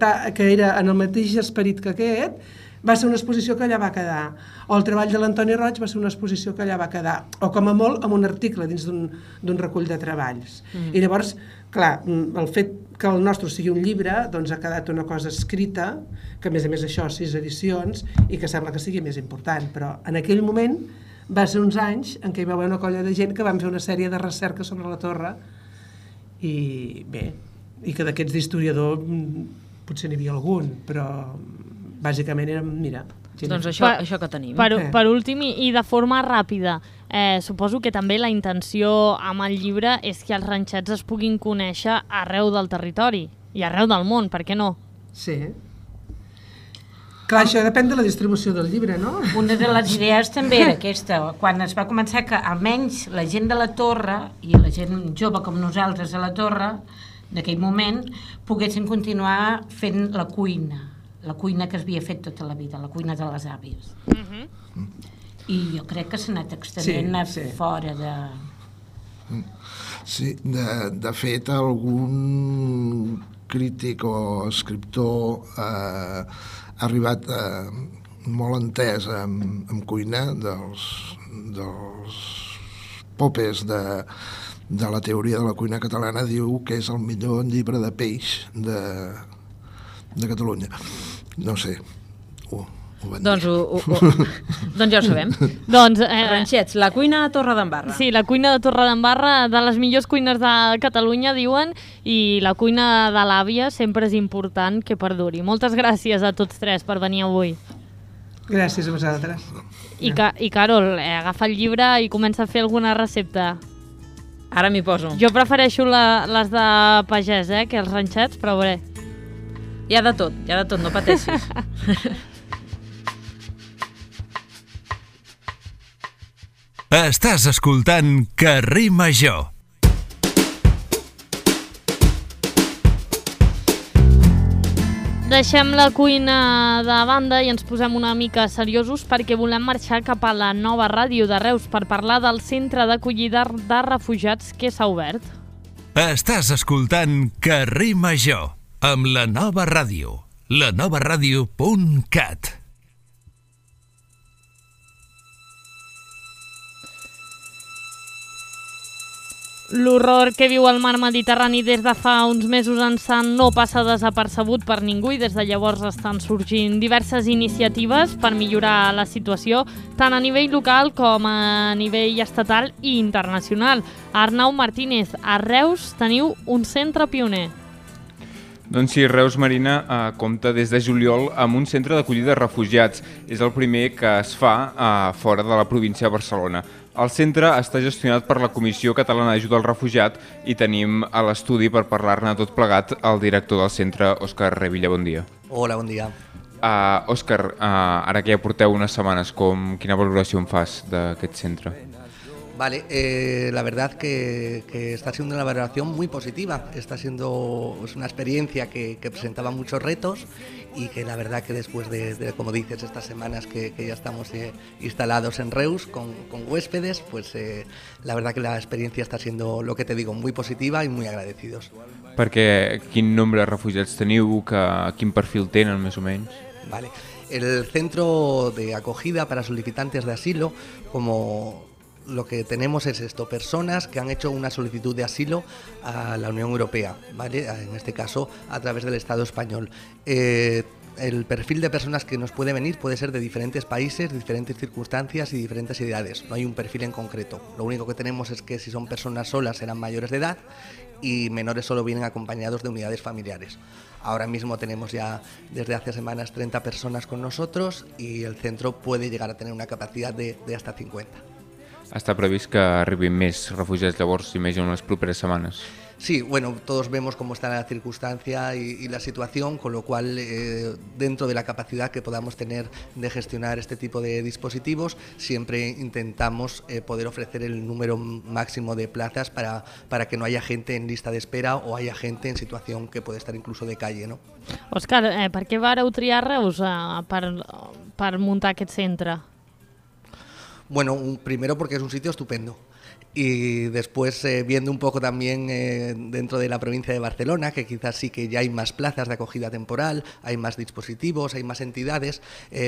en el mateix esperit que aquest, va ser una exposició que allà va quedar. O el treball de l'Antoni Roig va ser una exposició que allà va quedar. O com a molt amb un article dins d'un recull de treballs. I llavors, clar, el fet que el nostre sigui un llibre, doncs ha quedat una cosa escrita, que a més 6 edicions, i que sembla que sigui més important. Però en aquell moment va ser uns anys en què hi va haver una colla de gent que van fer una sèrie de recerca sobre la torre, i bé, i que d'aquests d'historiador potser n'hi havia algun, però bàsicament era, mira... Doncs això que tenim. Per últim, i de forma ràpida, suposo que també la intenció amb el llibre és que els ranxets es puguin conèixer arreu del territori i arreu del món, per què no? Sí. Clar, això depèn de la distribució del llibre, no? Una de les idees també era aquesta, quan es va començar que almenys la gent de la torre i la gent jove com nosaltres a la torre, d'aquell moment, poguessin continuar fent la cuina que es havia fet tota la vida, la cuina de les àvies. I jo crec que s'ha anat extenent fora de... Sí, de fet, algun crític o escriptor ha arribat molt entès en cuina dels popes de la teoria de la cuina catalana, diu que és el millor llibre de peix de Catalunya. No sé, ho van dir. Doncs ja ho sabem. Doncs, ranxets, la cuina de Torredembarra. Sí, la cuina de Torredembarra, de les millors cuines de Catalunya, diuen, i la cuina de l'àvia sempre és important que perduri. Moltes gràcies a tots tres per venir avui. Gràcies a vosaltres. I Carol, agafa el llibre i comença a fer alguna recepta. Ara m'hi poso. Jo prefereixo les de pagès, que els ranxets, però bé. Hi ha de tot, no pateixis. Estàs escoltant Carrer Major. Deixem la cuina de banda i ens posem una mica seriosos perquè volem marxar cap a la nova ràdio de Reus per parlar del centre d'acollida de refugiats que s'ha obert. Estàs escoltant Carrer Major amb la nova ràdio, lanovaradio.cat. L'horror que viu el mar Mediterrani des de fa uns mesos ençà no passa desapercebut per ningú i des de llavors estan sorgint diverses iniciatives per millorar la situació, tant a nivell local com a nivell estatal i internacional. Arnau Martínez, a Reus teniu un centre pioner. Doncs sí, Reus Marina compta des de juliol amb un centre d'acollida de refugiats. És el primer que es fa fora de la província de Barcelona. El centre està gestionat per la Comissió Catalana d'Ajuda al Refugiat i tenim a l'estudi per parlar-ne tot plegat el director del centre, Òscar Revilla. Bon dia. Hola, bon dia. Òscar, ara que ja porteu unes setmanes, quina valoració en fas d'aquest centre? Vale, la verdad que está siendo una valoración muy positiva. Es una experiencia que presentaba muchos retos y que la verdad que después de como dices, estas semanas que ya estamos instalados en Reus con huéspedes, pues la verdad que la experiencia está siendo, lo que te digo, muy positiva y muy agradecidos. Perquè quin nombre de refugiats teniu, quin perfil tenen més o menys? Vale, el centro de acogida para solicitantes de asilo, como lo que tenemos es esto, personas que han hecho una solicitud de asilo a la Unión Europea, ¿vale? En este caso a través del Estado español. El perfil de personas que nos puede venir puede ser de diferentes países, diferentes circunstancias y diferentes edades. No hay un perfil en concreto. Lo único que tenemos es que si son personas solas serán mayores de edad y menores solo vienen acompañados de unidades familiares. Ahora mismo tenemos ya desde hace semanas 30 personas con nosotros y el centro puede llegar a tener una capacidad de hasta 50. Està previst que arribin més refugiats llavors, imagino, en les properes setmanes. Sí, bueno, todos vemos cómo está la circunstancia y la situación, con lo cual dentro de la capacidad que podamos tener de gestionar este tipo de dispositivos, siempre intentamos poder ofrecer el número máximo de plazas para que no haya gente en lista de espera o haya gente en situación que puede estar incluso de calle, ¿no? Òscar, per què vareu triar Reus per muntar aquest centre? Bueno, primero porque es un sitio estupendo y después viendo un poco también dentro de la provincia de Barcelona, que quizás sí que ya hay más plazas de acogida temporal, hay más dispositivos, hay más entidades,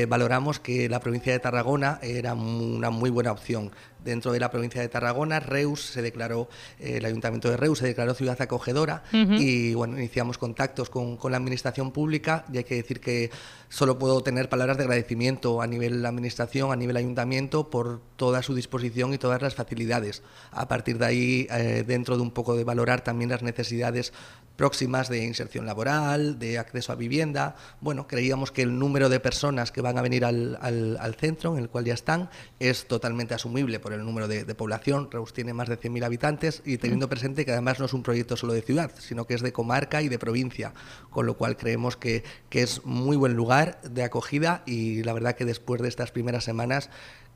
valoramos que la provincia de Tarragona era una muy buena opción. Dentro de la provincia de Tarragona, Reus se declaró, el Ayuntamiento de Reus se declaró ciudad acogedora y bueno, iniciamos contactos con la administración pública y hay que decir que solo puedo tener palabras de agradecimiento a nivel administración, a nivel ayuntamiento por toda su disposición y todas las facilidades. A partir de ahí, dentro de un poco de valorar también las necesidades próximas de inserción laboral, de acceso a vivienda. Bueno, creíamos que el número de personas que van a venir al centro, en el cual ya están, es totalmente asumible por el número de población. Reus tiene más de 100.000 habitantes y teniendo presente que además no es un proyecto solo de ciudad, sino que es de comarca y de provincia, con lo cual creemos que es muy buen lugar de acogida y la verdad que después de estas primeras semanas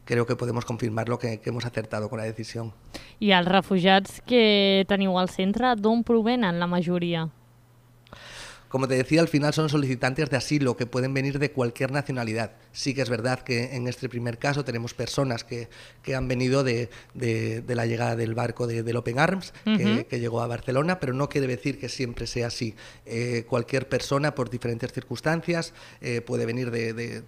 creo que podemos confirmarlo que hemos acertado con la decisión. I els refugiats que teniu al centre, d'on provenen la majoria? Como te decía, al final son solicitantes de asilo que pueden venir de cualquier nacionalidad. Sí que es verdad que en este primer caso tenemos personas que han venido de la llegada del barco del Open Arms, que llegó a Barcelona, pero no quiere decir que siempre sea así. Cualquier persona, por diferentes circunstancias, puede venir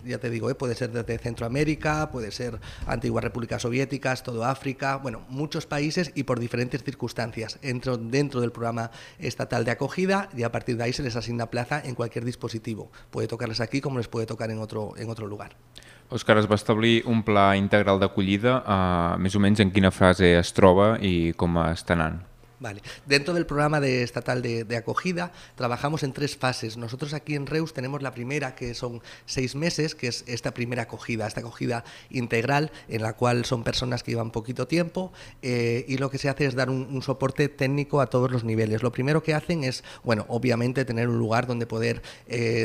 ya te digo, puede ser desde Centroamérica, puede ser antiguas repúblicas soviéticas, todo África, bueno, muchos países y por diferentes circunstancias. Entro dentro del programa estatal de acogida y a partir de ahí se les asigna plaza en cualquier dispositivo. Puede tocarles aquí como les puede tocar en otro lugar. Òscar, es va establir un pla integral d'acollida, més o menys en quina fase es troba i com està anant? Vale. Dentro del programa estatal de acogida trabajamos en 3 fases. Nosotros aquí en Reus tenemos la primera, que son 6 meses, que es esta primera acogida, esta acogida integral, en la cual son personas que llevan poquito tiempo y lo que se hace es dar un soporte técnico a todos los niveles. Lo primero que hacen es, bueno, obviamente tener un lugar donde poder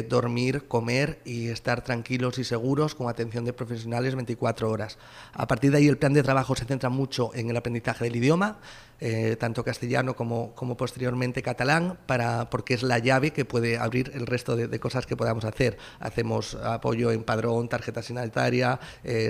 dormir, comer y estar tranquilos y seguros con atención de profesionales 24 horas. A partir de ahí el plan de trabajo se centra mucho en el aprendizaje del idioma, tanto castellano como posteriormente catalán, porque es la llave que puede abrir el resto de cosas que podamos hacer. Hacemos apoyo en padrón, tarjeta sanitaria,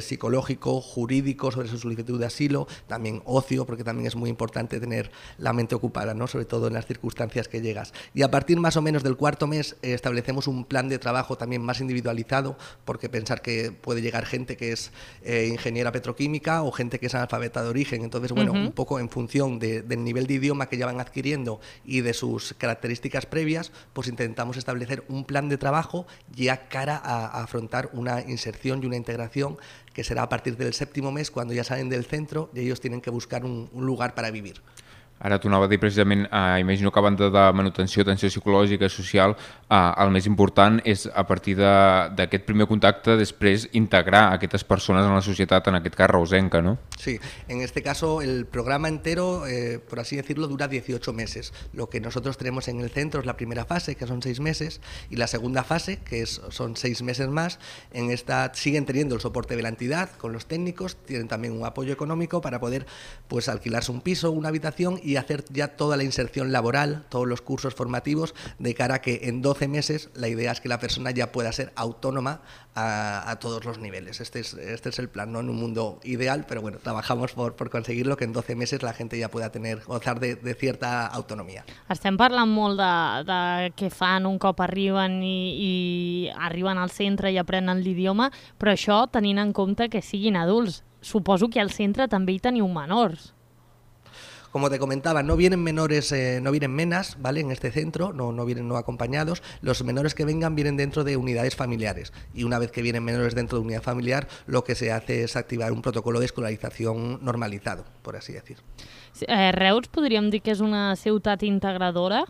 psicológico, jurídico sobre su solicitud de asilo, también ocio, porque también es muy importante tener la mente ocupada, ¿no? Sobre todo en las circunstancias que llegas. Y a partir más o menos del 4.º mes establecemos un plan de trabajo también más individualizado, porque pensar que puede llegar gente que es ingeniera petroquímica o gente que es analfabeta de origen. Entonces, bueno, un poco en función del nivel de idioma que ya van adquiriendo y de sus características previas, pues intentamos establecer un plan de trabajo ya cara a afrontar una inserción y una integración que será a partir del 7.º mes, cuando ja salen del centro i ells tenen que buscar un lugar para vivir. Ara t'ho anava a dir precisament, imagino que a banda de manutenció, atenció psicològica, social, el més important és a partir d'aquest primer contacte després integrar aquestes persones en la societat, en aquest cas reusenca, ¿no? Sí, en este caso el programa entero, por así decirlo, dura 18 meses. Lo que nosotros tenemos en el centro es la primera fase, que son 6 meses, y la segunda fase, que son 6 meses más. En esta siguen teniendo el soporte de la entidad con los técnicos, tienen también un apoyo económico para poder pues alquilarse un piso, una habitación y hacer ya toda la inserción laboral, todos los cursos formativos, de cara a que en 12 meses la idea es que la persona ya pueda ser autónoma a todos los niveles. Este es el plan, no en un mundo ideal, pero bueno, trabajamos por conseguirlo, que en 12 meses la gente ya pueda gozar de cierta autonomia. Estem parlant molt de què fan un cop arriben i arriben al centre i aprenen l'idioma, però això tenint en compte que siguin adults. Suposo que al centre també hi teniu menors. Como te comentaba, no vienen menores, no vienen menas, ¿vale? En este centro, no vienen no acompañados. Los menores que vengan vienen dentro de unidades familiares. Y una vez que vienen menores dentro de unidad familiar, lo que se hace es activar un protocolo de escolarización normalizado, por así decir. Reus podríem dir que és una ciutat integradora?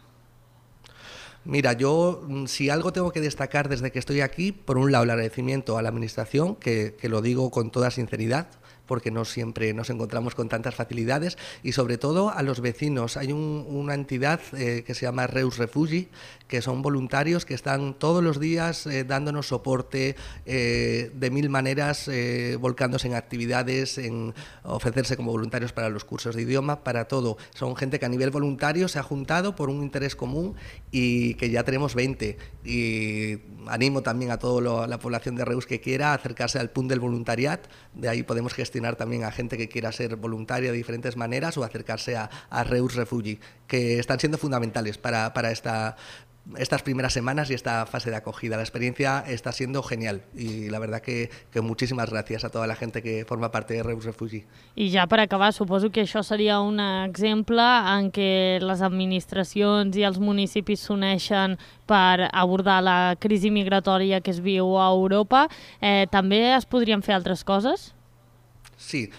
Mira, yo si algo tengo que destacar desde que estoy aquí, por un lado el agradecimiento a la administración, que lo digo con toda sinceridad, porque no siempre nos encontramos con tantas facilidades, y sobre todo a los vecinos. Hay una entidad que se llama Reus Refugi, que son voluntarios que están todos los días dándonos soporte de mil maneras, volcándose en actividades, en ofrecerse como voluntarios para los cursos de idioma, para todo. Son gente que a nivel voluntario se ha juntado por un interés común y que ya tenemos 20. Y animo también a toda la población de Reus que quiera acercarse al punt del voluntariat. De ahí podemos gestionar también a gente que quiera ser voluntaria de diferentes maneras o acercarse a Reus Refugi, que están siendo fundamentales para estas primeras semanas y esta fase de acogida. La experiencia está siendo genial y la verdad que muchísimas gracias a toda la gente que forma parte de Reus Refugi. I ja per acabar, suposo que això seria un exemple en què les administracions i els municipis s'uneixen per abordar la crisi migratòria que es viu a Europa. També es podrien fer altres coses? Sí,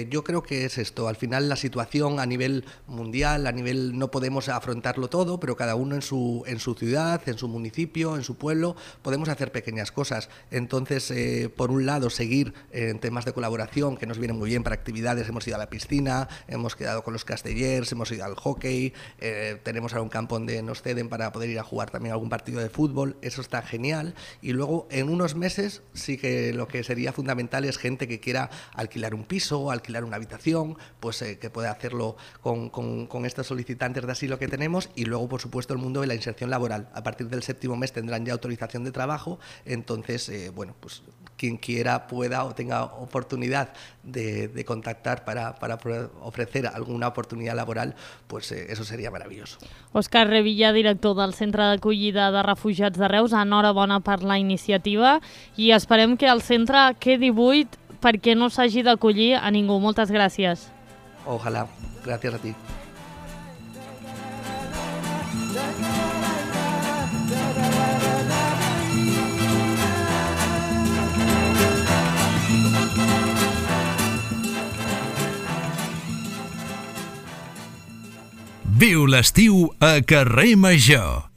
yo creo que es esto. Al final la situación a nivel mundial, no podemos afrontarlo todo, pero cada uno en su ciudad, en su municipio, en su pueblo, podemos hacer pequeñas cosas. Entonces, por un lado, seguir en temas de colaboración, que nos vienen muy bien para actividades. Hemos ido a la piscina, hemos quedado con los castellers, hemos ido al hockey, tenemos ahora un campo donde nos ceden para poder ir a jugar también algún partido de fútbol. Eso está genial. Y luego, en unos meses, sí que lo que sería fundamental es gente que quiera alquilar un piso, alquilar una habitación, pues que pueda hacerlo con estos solicitantes de asilo que tenemos. Y luego, por supuesto, el mundo de la inserción laboral. A partir del 7.º mes tendrán ya autorización de trabajo, entonces, bueno, pues quien quiera, pueda o tenga oportunidad de contactar para ofrecer alguna oportunidad laboral, pues eso seria meravelloso. Òscar Revilla, director del Centre d'Acollida de Refugiats de Reus, enhorabona per la iniciativa i esperem que el centre quedi buit perquè no s'hagi d'acollir a ningú. Moltes gràcies. Ojalá. Gràcies a ti. Viu l'estiu a Carrer Major.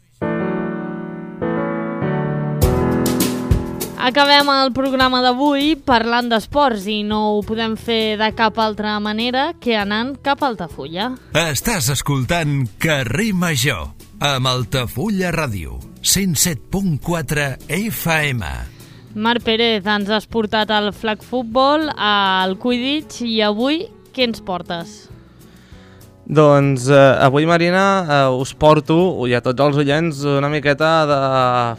Acabem el programa d'avui parlant d'esports i no ho podem fer de cap altra manera que anant cap a Altafulla. Estàs escoltant Carrer Major amb Altafulla Ràdio, 107.4 FM. Marc Pérez, ens has portat al flag futbol, al Quidditch i avui què ens portes? Doncs avui, Marina, us porto, i a tots els oients, una miqueta de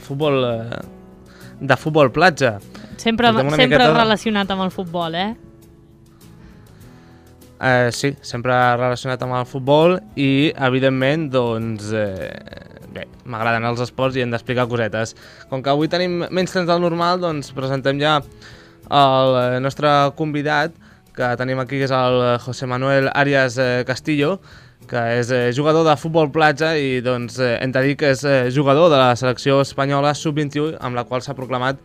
futbol platja. Sempre relacionat amb el futbol, Sí, sempre relacionat amb el futbol i, evidentment, doncs, bé, m'agraden els esports i hem d'explicar cosetes. Com que avui tenim menys temps del normal, doncs presentem ja el nostre convidat, que tenim aquí, que és el José Manuel Arias Castillo, que és jugador de futbol platja i doncs, hem de dir que és jugador de la selecció espanyola sub-21, amb la qual s'ha proclamat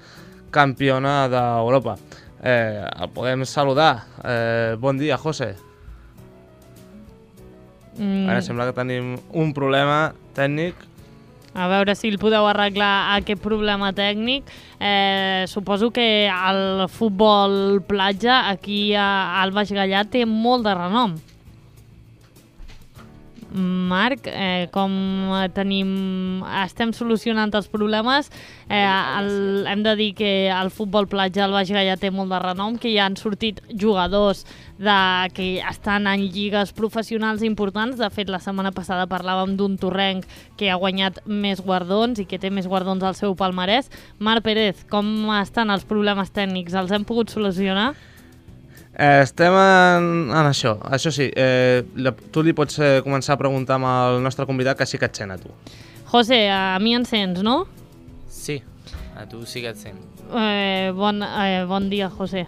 campiona d'Europa. El podem saludar. Bon dia, José. Ara sembla que tenim un problema tècnic. A veure si el podeu arreglar aquest problema tècnic. Suposo que el futbol platja aquí al Baix Gaià té molt de renom. Marc, com estem solucionant els problemes, hem de dir que el futbol platja al Baix Gaià té molt de renom, que hi han sortit jugadors que estan en lligues professionals importants. De fet, la setmana passada parlàvem d'un torrenc que ha guanyat més guardons i que té més guardons al seu palmarès. Marc Pérez, com estan els problemes tècnics? Els hem pogut solucionar? Estem en això sí. Tu li pots començar a preguntar amb el nostre convidat, que sí que et sent a tu. José, a mi em sents, no? Sí, a tu sí que et sent. Bon dia, José.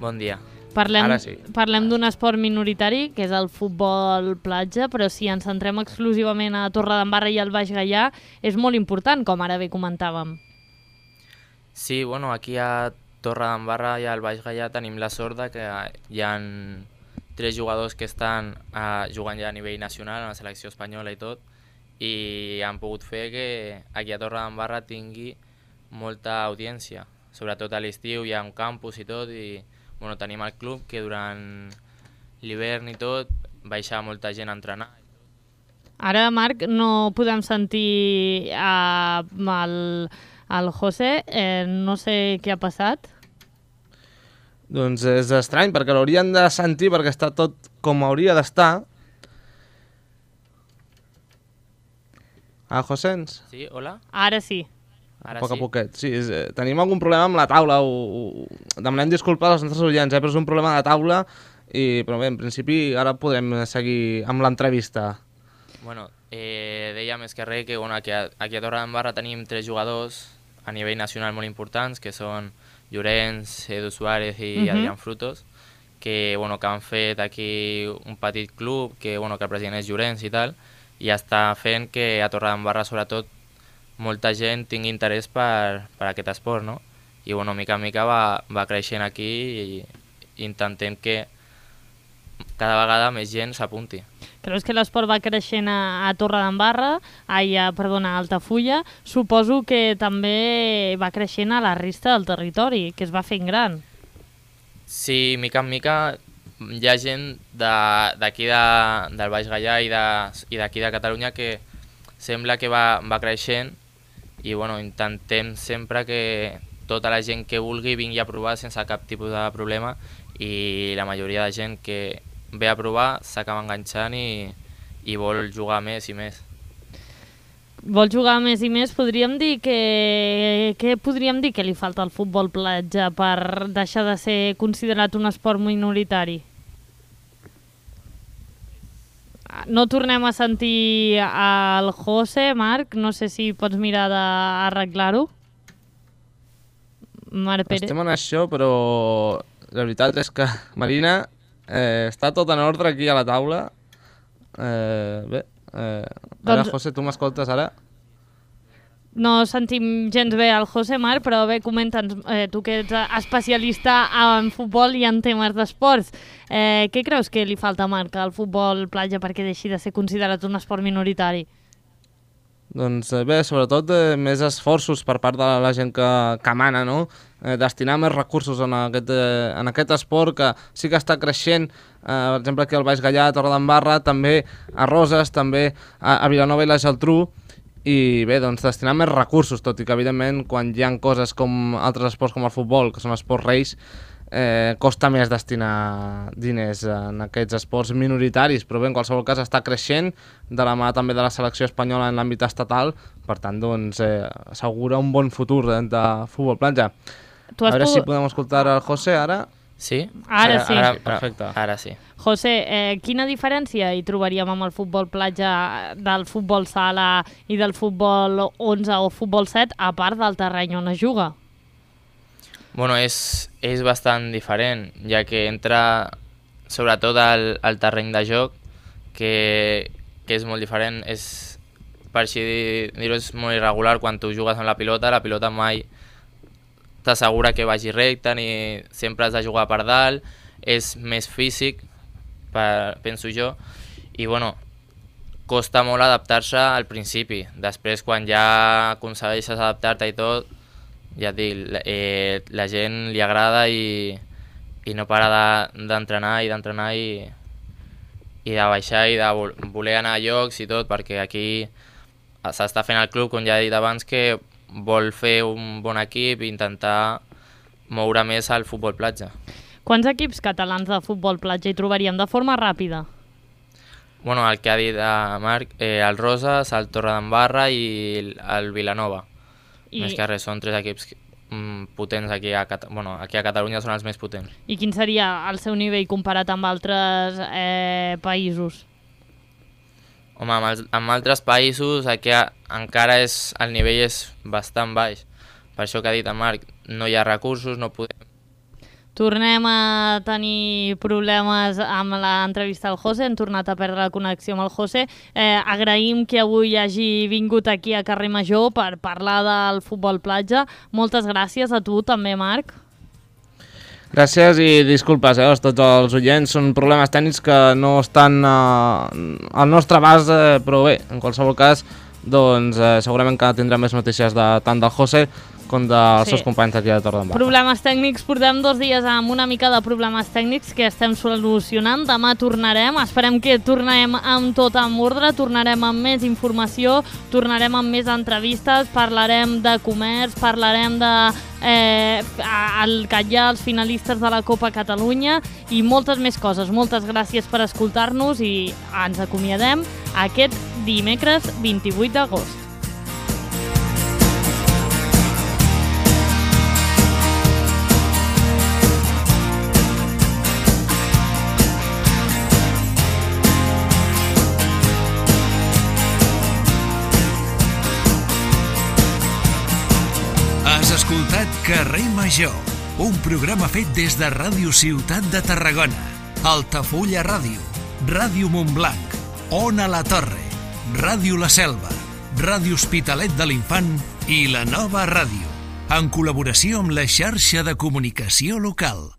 Bon dia. Ara sí. Parlem d'un esport minoritari, que és el futbol platja, però si ens centrem exclusivament a Torredembarra i al Baix Gaià, és molt important, com ara bé comentàvem. Sí, bueno, aquí a Torredembarra i al Baix Gaià tenim la sort que hi ha 3 jugadors que estan jugant ja a nivell nacional, en la selecció espanyola i tot, i han pogut fer que aquí a Torredembarra tingui molta audiència. Sobretot a l'estiu hi ha un campus i tot, i bueno, tenim el club que durant l'hivern i tot baixa molta gent a entrenar. Ara, Marc, no podem sentir el José, no sé què ha passat. Doncs és estrany, perquè l'haurien de sentir, perquè està tot com hauria d'estar. José, ens? Sí, hola? Ara sí. A poquet. Sí, tenim algun problema amb la taula. Demanem disculpes als nostres oients, però és un problema de taula. Però bé, en principi ara podrem seguir amb l'entrevista. Bueno, deia més que res que aquí a Torredembarra tenim 3 jugadors a nivell nacional molt importants, que són Llorenç, Edu Suárez i Adrián Frutos, que han fet aquí un petit club, que el president és Llorenç i tal, i està fent que a Torredembarra, sobretot, molta gent tingui interès per aquest esport, no? I mica en mica va creixent aquí i intentem que cada vegada més gent s'apunti. Creus que l'esport va creixent a Torredembarra, a Altafulla? Suposo que també va creixent a la resta del territori, que es va fent gran. Sí, mica en mica hi ha gent d'aquí del Baix Gaià i d'aquí de Catalunya que sembla que va creixent i intentem sempre que tota la gent que vulgui vingui a provar sense cap tipus de problema, i la majoria de gent que ve a provar s'acaba enganxant i vol jugar més i més. Vol jugar més i més, podríem dir què podríem dir que li falta al futbol platja per deixar de ser considerat un esport minoritari? No tornem a sentir el José, Marc, no sé si pots mirar d'arreglar-ho. Marc Pérez. Estem en això, però la veritat és que, Marina, està tot en ordre aquí a la taula. Ara, José, tu m'escoltes ara? No sentim gens bé el José, Marc, però bé, comenta'ns, tu que ets especialista en futbol i en temes d'esports. Què creus que li falta, Marc, al futbol platja perquè deixi de ser considerat un esport minoritari? Doncs bé, sobretot més esforços per part de la gent que mana, no? Destinar més recursos en aquest esport que sí que està creixent, per exemple aquí al Baix Gallà, a Torredembarra, també a Roses, també a Vilanova i la Geltrú, i bé, doncs destinar més recursos, tot i que evidentment quan hi ha coses com altres esports com el futbol, que són esports reis, costa més destinar diners en aquests esports minoritaris, però bé, en qualsevol cas està creixent de la mà també de la selecció espanyola en l'àmbit estatal, per tant, doncs, assegura un bon futur de futbol platja. A veure si podem escoltar el José ara. Sí? Ara sí. Perfecte. Ara sí. José, quina diferència hi trobaríem amb el futbol platja del futbol sala i del futbol 11 o futbol 7, a part del terreny on es juga? Bueno, és bastant diferent, ja que entra sobretot al terreny de joc, que és molt diferent. Per així dir-ho, és molt irregular. Quan tu jugues amb la pilota mai t'assegura que vagi recte, ni sempre has de jugar per dalt, és més físic, penso jo, i bueno, costa molt adaptar-se al principi. Després, quan ja aconsegueixes adaptar-te i tot, ja et dic, la gent li agrada i no para d'entrenar i de baixar i de voler anar a llocs i tot, perquè aquí s'està fent el club, com ja he dit abans, que vol fer un bon equip i intentar moure més al futbol platja. Quants equips catalans de futbol platja hi trobaríem de forma ràpida? Bueno, el que ha dit Marc, el Roses, el Torredembarra i el Vilanova. Més que res, són 3 equips potents aquí a Catalunya, són els més potents. I quin seria el seu nivell comparat amb altres països? Home, amb altres països aquí encara el nivell és bastant baix. Per això que ha dit el Marc, no hi ha recursos, no podem... Tornem a tenir problemes amb l'entrevista al José, hem tornat a perdre la connexió amb el José. Agraïm que avui hagi vingut aquí a Carrer Major per parlar del futbol platja. Moltes gràcies a tu també, Marc. Gràcies i disculpes a tots els oients, són problemes tècnics que no estan al nostre abast, però bé, en qualsevol cas, doncs segurament que tindrem més notícies tant del José com dels seus companys aquí de Torredembarra. Problemes tècnics, portem 2 dies amb una mica de problemes tècnics que estem solucionant. Demà tornarem, esperem que tornem amb tot en ordre, tornarem amb més informació, tornarem amb més entrevistes, parlarem de comerç, parlarem de que hi ha els finalistes de la Copa Catalunya i moltes més coses. Moltes gràcies per escoltar-nos i ens acomiadem aquest dimecres 28 d'agost. Has escoltat Carrer Major, un programa fet des de Ràdio Ciutat de Tarragona, Altafulla Ràdio, Ràdio Montblanc, Ona la Torre, Ràdio La Selva, Ràdio Hospitalet de l'Infant i La Nova Ràdio, en col·laboració amb la xarxa de comunicació local.